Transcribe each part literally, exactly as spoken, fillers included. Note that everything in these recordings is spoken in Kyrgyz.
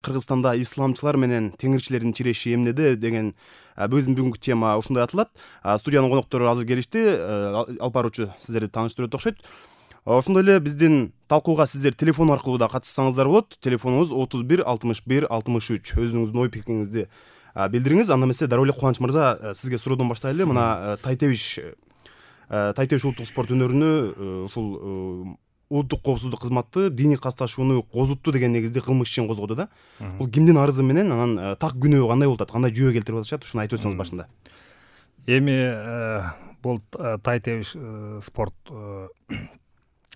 Кыргызстанда исламчылар менен теңирчилердин чиреши эмнеде деген биздин бүгүнкү тема ушундай аталат. Студиянын коноктору азыр келишти. Алып баруучу сиздерди тааныштырып окшойт. Ошондой эле биздин талкууга сиздер телефон аркылуу да катышсаңыздар болот. Телефонубуз отуз бир алтымыш бир алтымыш үч. Өзүңүздүн ой пикириңизди билдириңиз. Анда эмесе дароо эле Кубаныч мырза, сизге суроодон баштайлы. Мына Тайтебиш Тайтебиш улуттук спорт өнөрүнө ушул улуттук коопсуздук кызматы диний касташууну козутту деген негизде кылмыш ишин козгоду да. Бул кимдин арызы менен, анан так күнөө кандай болуп атат, кандай жүйө келтирип атышат, ушуну айтып өтсөңүз башында. Эми бул Тайтебиш спорт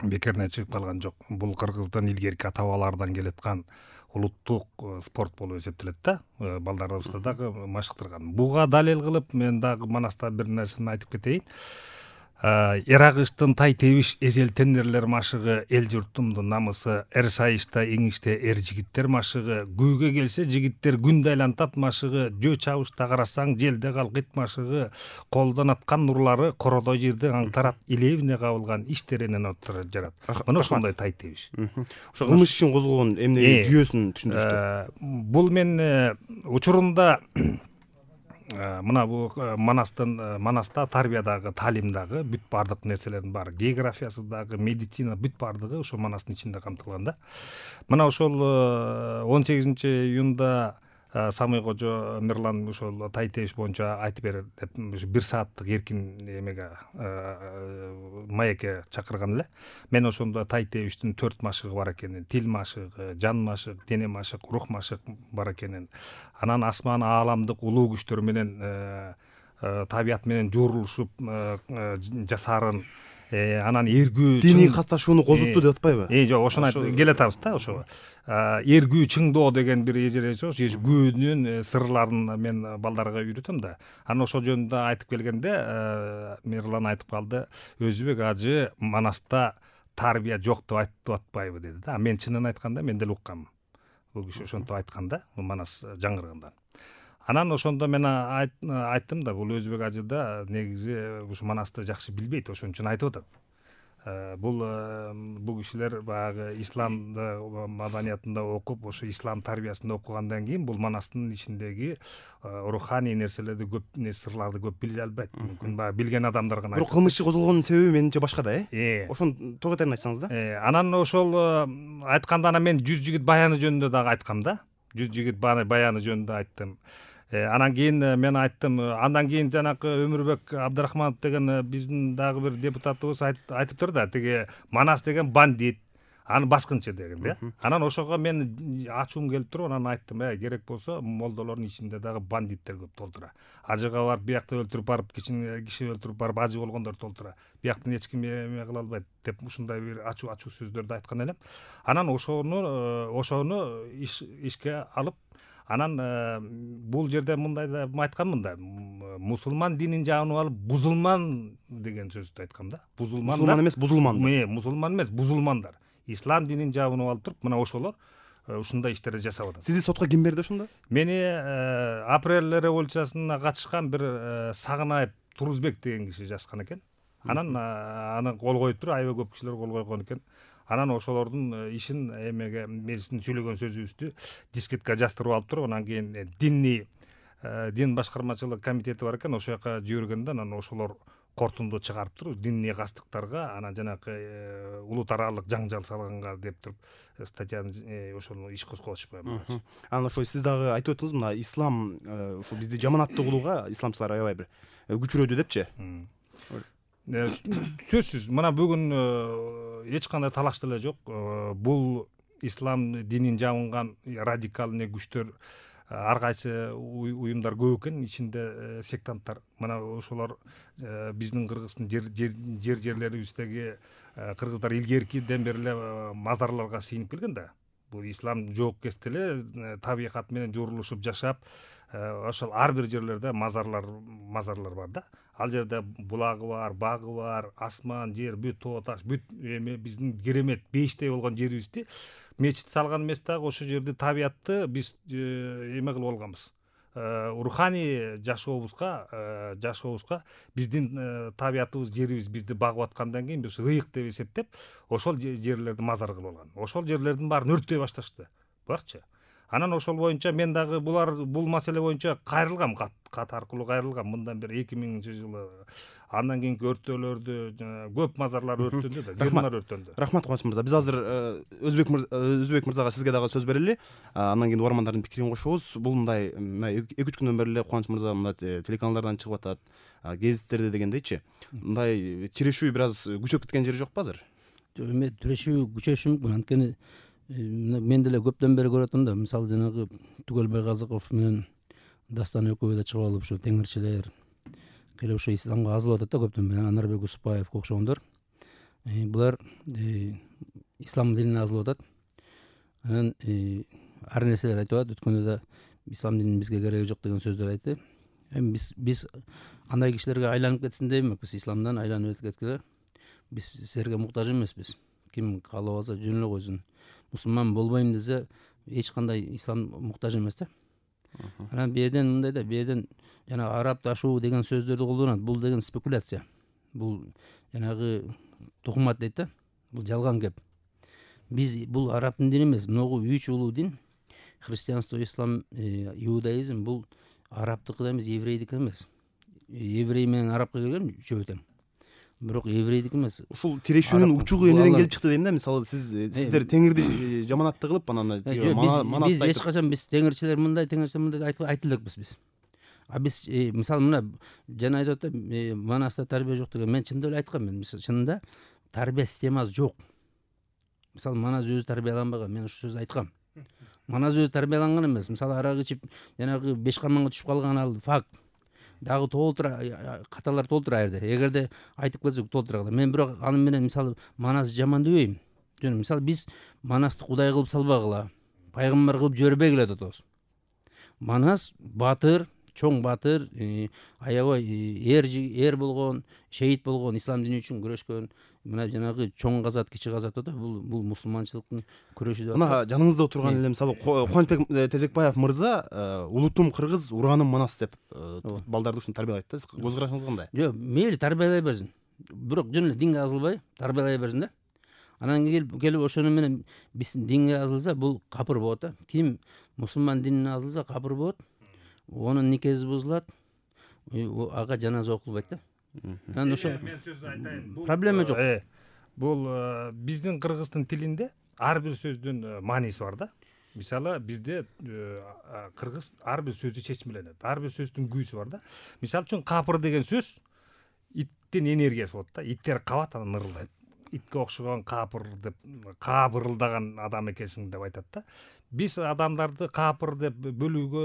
бекеринен чыгып калган жок. Бул Кыргыздын илгерки ата-бабалардан келаткан улуттук спорт болуп эсептелет да. Балдарыбызды дагы машыктырган. Буга далил кылып мен дагы Манаста бир нерсени айтып кетейин. Эрагыштын Тайтебиш эзел тендерлер машыгы, эл журтумдун намысы, эр сайышта эңиште эр жигиттер машыгы, күүгө келсе жигиттер күндө айлантат машыгы, жөө чабышта карасаң желде калкыйт машыгы, колдон аткан нурлары кородой жерди аңтарат, илебине кабылган иштеренен отура жарат. Мына ошондой Тайтебиш. Ошо кылмыш ишин козголгон эмне жүйөсүн түшүндүрүштү. Бул мен учурунда мына бул Манастын Манаста тарбиядагы, таалимдагы бүт бардык нерселердин баары, географиясы дагы, медицина бүт бардыгы ошо Манастын ичинде камтылган да. Мына ошол он сегизинчи июнда Самый кожо Мирлан ошол Тайтебиш боюнча айтып берет деп бир сааттык эркин эмеге маекке чакырган эле. Мен ошондо Тайтебиштин төрт машыгы бар экенин, тил машыгы, жан машык, дене машык, рух машык бар экенин, анан асман ааламдык улуу күчтөр менен табият менен жорулушуп жасаарын, анан эргүү диний касташууну козутту деп атпайбы? Э, жок, ошону айтып келатабыз да. Ошо эргүү чыңдоо деген бир эжереч, күөнүн сырларын мен балдарга үйрөтөм да. Анан ошол жөнүндө айтып келгенде Мирлан айтып калды, Өзбек ажы Манаста тарбия жок деп айтып атпайбы деди да. Мен чынын айтканда мен деле уккам. Бул киши ошентип айткан да, Манас жаңыргандан. Анан ошондо мен айттым да, бул Өзбек ажы да негизи ушу Манасты жакшы билбейт, ошон үчүн айтып атат. Бул бул кишилер баягы ислам маданиятында окуп, ошо ислам тарбиясында окугандан кийин бул Манастын ичиндеги руханий нерселерди көп, сырларды көп биле албайт. Мүмкүн баягы билген адамдар гана. Бирок кылмыш иши козголгонун себеби менимче башка да, э? Ошону тоготайын айтсаңыз да. Анан ошол айтканда анан мен жүз жигит баяны жөнүндө дагы айткам да. жүз жигит баяны жөнүндө айттым. Анан кийин мен айттым, андан кийин жанакы Өмүрбек Абдрахманов деген биздин дагы бир депутатыбыз айтыптыр да, тиги Манас деген бандит, аны баскынчы деген да. Анан ошого мен ачуум келип туруп, анан айттым, э, керек болсо молдолордун ичинде дагы бандиттер көп толтура. Ажыга барып, биякта өлтүрүп барып, киши өлтүрүп барып, ажы болгондор толтура. Бияктан эч ким эме кыла албайт деп ушундай бир ачуу ачуу сөздөрдү айткан элем. Анан ошону ошону ишке алып, анан бул жерде мындай да айтканмын да, мусулман динин жагынып алып, бузулман деген сөздү айткам да. Бузулман мусулман эмес, бузулмандар. Э, мусулман эмес, бузулмандар. Ислам динин жагынып алып туруп, мына ошолор ушундай иштерди жасап атат. Сизди сотко ким берди ошондо? Мени апрель революциясына катышкан бир Сагынаев Турузбек деген киши жазган экен. Анан аны кол коюп туруп, аябай көп кишилер кол койгон экен. Анан ошолордун ишин эмеге, биздин сүйлөгөн сөзүбүздү дискетке жаздырып алып туруп, анан кийин динний дин башкармачылык комитети бар экен, ошол жака жибергенде, анан ошолор кортунду чыгарып туруп, динний кастыктарга, анан жанакы улут аралык жаңжал салганга деп туруп статьяны ошону иш козготушпай. Анан ошо сиз дагы айтып өттүңүз, мына ислам ушу бизди жаманаттуу кылууга исламчылар аябай бир күчүрөдү депчи. Сөзсүз, мына бүгүн эч кандай талаш деле жок. Бул ислам динин жабынган радикалный күчтөр, ар кайсы уюмдар көп экен, ичинде сектанттар. Мына ошолор биздин Кыргыздын жер жерлерибиздеги кыргыздар илгеркиден бери эле мазарларга сыйынып келген да. Бул ислам жоокест эле табигат менен жорулушуп жашап, ошол ар бир жерлерде мазарлар мазарлар бар да. Ал жерде булагы бар, багы бар, асман, жер, бүт тоо таш, бүт эме биздин керемет бейиштей болгон жерибизди мечит салган эмес дагы, ошол жерди табиятты биз эме кылып алганбыз. Руханий жашообузга жашообузга биздин табиятыбыз, жерибиз бизди багып аткандан кийин биз ыйык деп эсептеп, ошол жерлерди мазар кылып алган. Ошол жерлердин баарын өрттөй башташты. Барчы. Анан ошол боюнча мен дагы булар бул маселе боюнча кайрылгам, кат кат аркылуу кайрылгам. Мындан бери эки миңинчи жылы андан кийинки өрттөөлөрдө көп мазарлар өрттөндү да, жырлар өрттөндү. Рахмат Кубаныч мырза. Биз азыр Өзбек Өзбек мырзага сизге дагы сөз берели. Андан кийин угармандардын пикирин кошобуз. Бул мындай эки үч күндөн бери эле Кубаныч мырза мындай телеканалдардан чыгып атат, гезиттерде дегендейчи. Мындай тирешүү бир аз күчөп кеткен жери жокпу азыр? Жок, эме тирешүү күчөшү мүмкүн. Анткени мен деле көптөн бери көрүп атам да, мисалы жанагы Түгөлбай Казаков менен Дастан экөө да чыгып алып ушу теңирчилер келип ошо исламга азылып атат да көптөн бери. Анарбек Усупбаевге окшогондор. Булар ислам динине азылып атат. Анан ар нерселер айтып атат. Өткөндө да ислам дининин бизге кереги жок деген сөздөр айтты. Эми биз биз андай кишилерге айланып кетсин деп эмес, исламдан айланып кеткиле. Биз силерге муктаж эмеспиз. Ким каалап алса жөн эле койсун. Мусулман болбойм десе эч кандай ислам муктаж эмес да. Анан бу жерден мындай да, бу жерден жана арабташуу деген сөздөрдү колдонот. Бул деген спекуляция. Бул жанагы тухумат дейт да. Бул жалган кеп. Биз бул арабтын дини эмес, могу үч улуу дин, христианство, ислам, иудаизм бул арабтыкы да эмес, еврейдики эмес. Еврей менен арабка келген үчөө тең. Бирок еврейдики эмес. Ушул тирешүүнүн учугу эмнеден келип чыкты дейм да. Мисалы сиз сиздер теңирди жаманатты кылып анан биз эч качан биз теңирчилер мындай, теңирчилер мындай айтып элекпиз биз. А биз мисалы мына жана айтып атат, манаста тарбия жок деген. Мен чындап эле айткам, мен чынында тарбия системасы жок. Мисалы манас өзү тарбияланбаган, мен ушул сөздү айткам. Манас өзү тарбияланган эмес. Мисалы арак ичип жанагы беш карманга түшүп калган ал факт. Дагы толтура каталар толтура жерде. Эгерде айтып келсек толтура. Мен бирок аны менен мисалы манас жаман дебейм. Жөн мисалы биз манасты кудай кылып салбагыла, пайгамбар кылып жибербегиле деп атабыз. Манас батыр, чоң батыр, аябай эр эр болгон, шейит болгон, ислам дини үчүн күрөшкөн, мына жанагы чоң казат, кичи казат да, бул бул мусулманчылыктын күрөшү деп. Мына жаныңызда отурган эле мисалы Кубанычбек Тезекбаев мырза улутум кыргыз, ураным манас деп балдарды ушуну тарбиялайт да. Көз карашыңыз кандай? Жок, мейли тарбиялай берсин. Бирок жөн эле динге азылбай тарбиялай берсин да. Анан келип келип ошону менен биздин динге азылса бул капыр болот да. Ким мусулман динине азылса капыр болот. Онун никеси бузулат. Ага жаназа окулбайт да. Анан ошо мен сөз айтайын. Проблема жок. Бул биздин кыргыздын тилинде ар бир сөздүн мааниси бар да. Мисалы бизде кыргыз ар бир сөздү чечмеленет. Ар бир сөздүн күйүсү бар да. Мисалы үчүн капыр деген сөз иттин энергиясы болот да. Иттер кабат, анан ырылдайт. Итке окшогон капыр деп, кабырылдаган адам экенсиң деп айтат да. Биз адамдарды капыр деп бөлүүгө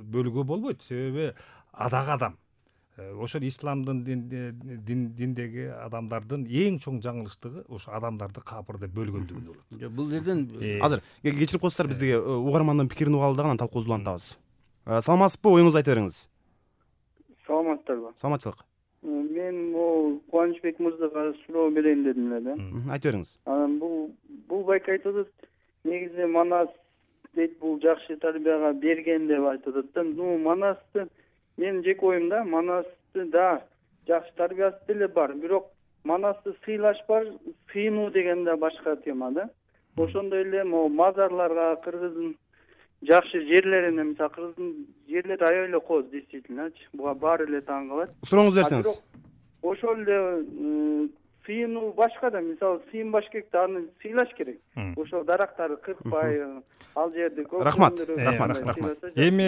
бөлүүгө болбойт. Себеби адак адам. Ошол исламдын диндеги адамдардын эң чоң жаңылыштыгы ошо адамдарды капыр деп бөлгөндүгүндө болот. Жок, бул жерден азыр кечирип коесуздар, биздеги угармандын пикирин угалы дагы анан талкуубузду улантабыз. Саламатсызбы? Оюңузду айта бериңиз. Саламатсыздарбы? Саламатчылык. Мен могу Кубанычбек мырзага суроо берейин дедим эле да. Айтып бериңиз. Анан бул бул байке айтып атат, негизи манас дейт, бул жакшы тарбияга берген деп айтып атат да. Ну, манасты мен жеке оюм да, манасты да жакшы тарбиясы деле бар, бирок манасты сыйлаш бар, сыйынуу деген да башка тема да. Ошондой эле могу мазарларга, кыргыздын жакшы жерлерине, мисалы кыргыздын жерлери аябай эле кооз, действительночи. Буга баары эле таң калат. Сурооңузду берсеңиз. Ошол эле сыйынуу башка да, мисалы сыйынбаш керек да, аны сыйлаш керек. Ошол дарактарды кыркпай, ал жерде көп. Рахмат, рахмат, рахмат. Эми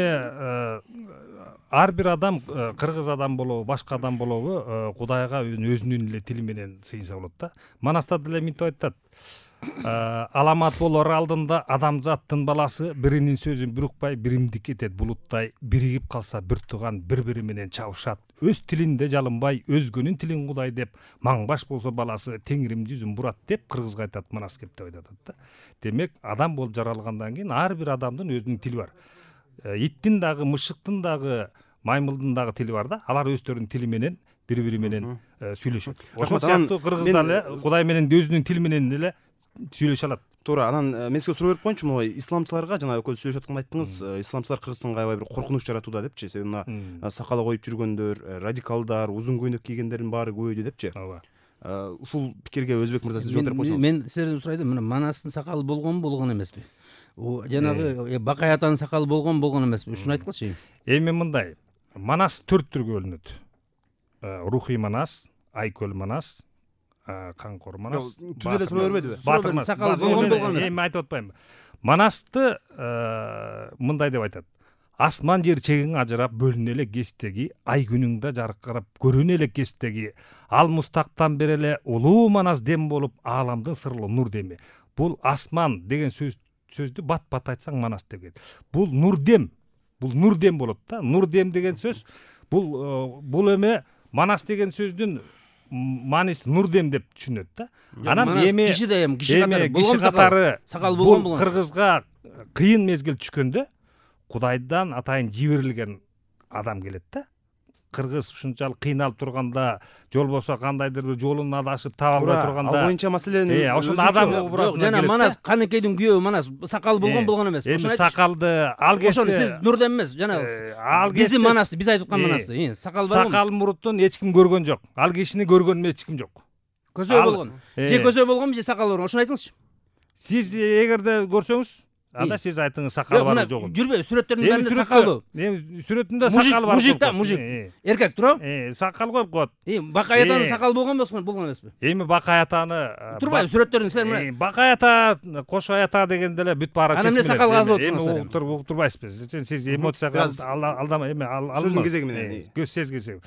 ар бир адам, кыргыз адам болобу, башка адам болобу, Кудайга өзүнүн эле тили менен сыйынса болот да. Манаста деле мынтип айтат. Аламат болор алдында адамзаттын баласы биринин сөзүн бир укпай, биримдик этет булуттай, биригип калса бир тууган бири-бири менен чабышат. Өз тилинде жалынбай, өзгөнүн тилин Кудай деп, маңбаш болсо баласы теңирим жүзүн бурат деп кыргызга айтат, манас кеп деп айтат да. Демек, адам болуп жаралгандан кийин ар бир адамдын өзүнүн тили бар. Иттин дагы, мышыктын дагы, маймылдын дагы тили бар да. Алар өздөрүнүн тили менен бири-бири менен сүйлөшөт. Ошол сыяктуу кыргыз дагы Кудай менен өзүнүн тили менен эле сүйлөшө алат. Туура. Анан мен сизге суроо берип коеюнчу, могу исламчыларга жана көз сүйлөшүп атканда айттыңыз, исламчылар Кыргызстанга аябай бир коркунуч жаратууда депчи. Себеби мына сакалы коюп жүргөндөр, радикалдар, узун көйнөк кийгендердин баары көбөйдү депчи. Ооба. Ушул пикирге Өзбек мырза сиз жооп берип койсоңуз. Мен силерден сурайдым, мына манастын сакалы болгонбу, болгон эмеспи? жанагы Бакай атанын сакалы болгон болгон эмеспи, ушуну айткылчы. Эми мындай, Манас төрт түргө бөлүнөт. Рухий Манас, Айкөл Манас, Каңкор Манас. Түз эле суроо бермедиби? Батыр Манас. Сакалы болгон болгон эмес. Эми айтып атпайм. Манасты мындай деп айтат. Асман жер чегиң ажырап бөлүнө эле кестеги, ай күнүңдө жаркырап көрүнө эле кестеги, ал мустактан бери эле улуу Манас дем болуп, ааламдын сырлуу нур деми. Бул асман деген сөз сөздү бат-бат айтсаң Манас деген. Бул нур дем. Бул нур дем болот да. Нур дем деген сөз бул бул эме Манас деген сөздүн мааниси нур дем деп түшүнөт да. Анан эми киши да эми киши катары болгон катары сакал болгон болгон. Кыргызга кыйын мезгил түшкөндө Кудайдан атайын жиберилген адам келет да. Кыргыз ушунчалык кыйналып турганда, жол болсо кандайдыр бир жолун адашып таба албай турганда, ал боюнча маселени э ошондо адам образына жана Манас Канекейдин күйөөбү Манас сакалы болгон болгон эмес. Эми сакалды ал кезде ошону сиз нурдем эмес, жана ал биздин Манасты, биз айтып аткан Манасты, сакал болгон. Сакал муруттун эч ким көргөн жок. Ал кишини көргөн эч ким жок. Көзөө болгон. Же көзөө болгонбу, же сакалы болгон? Ошону айтыңызчы. Сиз эгерде көрсөңүз, анда сиз айтыңыз сакалы бар жогун. Жүрбөй, сүрөттөрдүн баарында сакалбы? Эми сүрөтүндө сакал бар. Мужик да, мужик. Эркек туурабы? Э, сакал коюп коет. Бакай атанын сакалы болгон болсун, болгон эмеспи? Эми Бакай атаны турбайбы сүрөттөрүн силер мына? Бакай ата, Кошой ата дегенде эле бүт баары чечилет. Анан эмне сакал казып Эми отурсуңуздар? уктур уктурбайсызбы? Сиз эмоцияга алдама, эми ал сөздүн кезеги менен. көз сезгиси.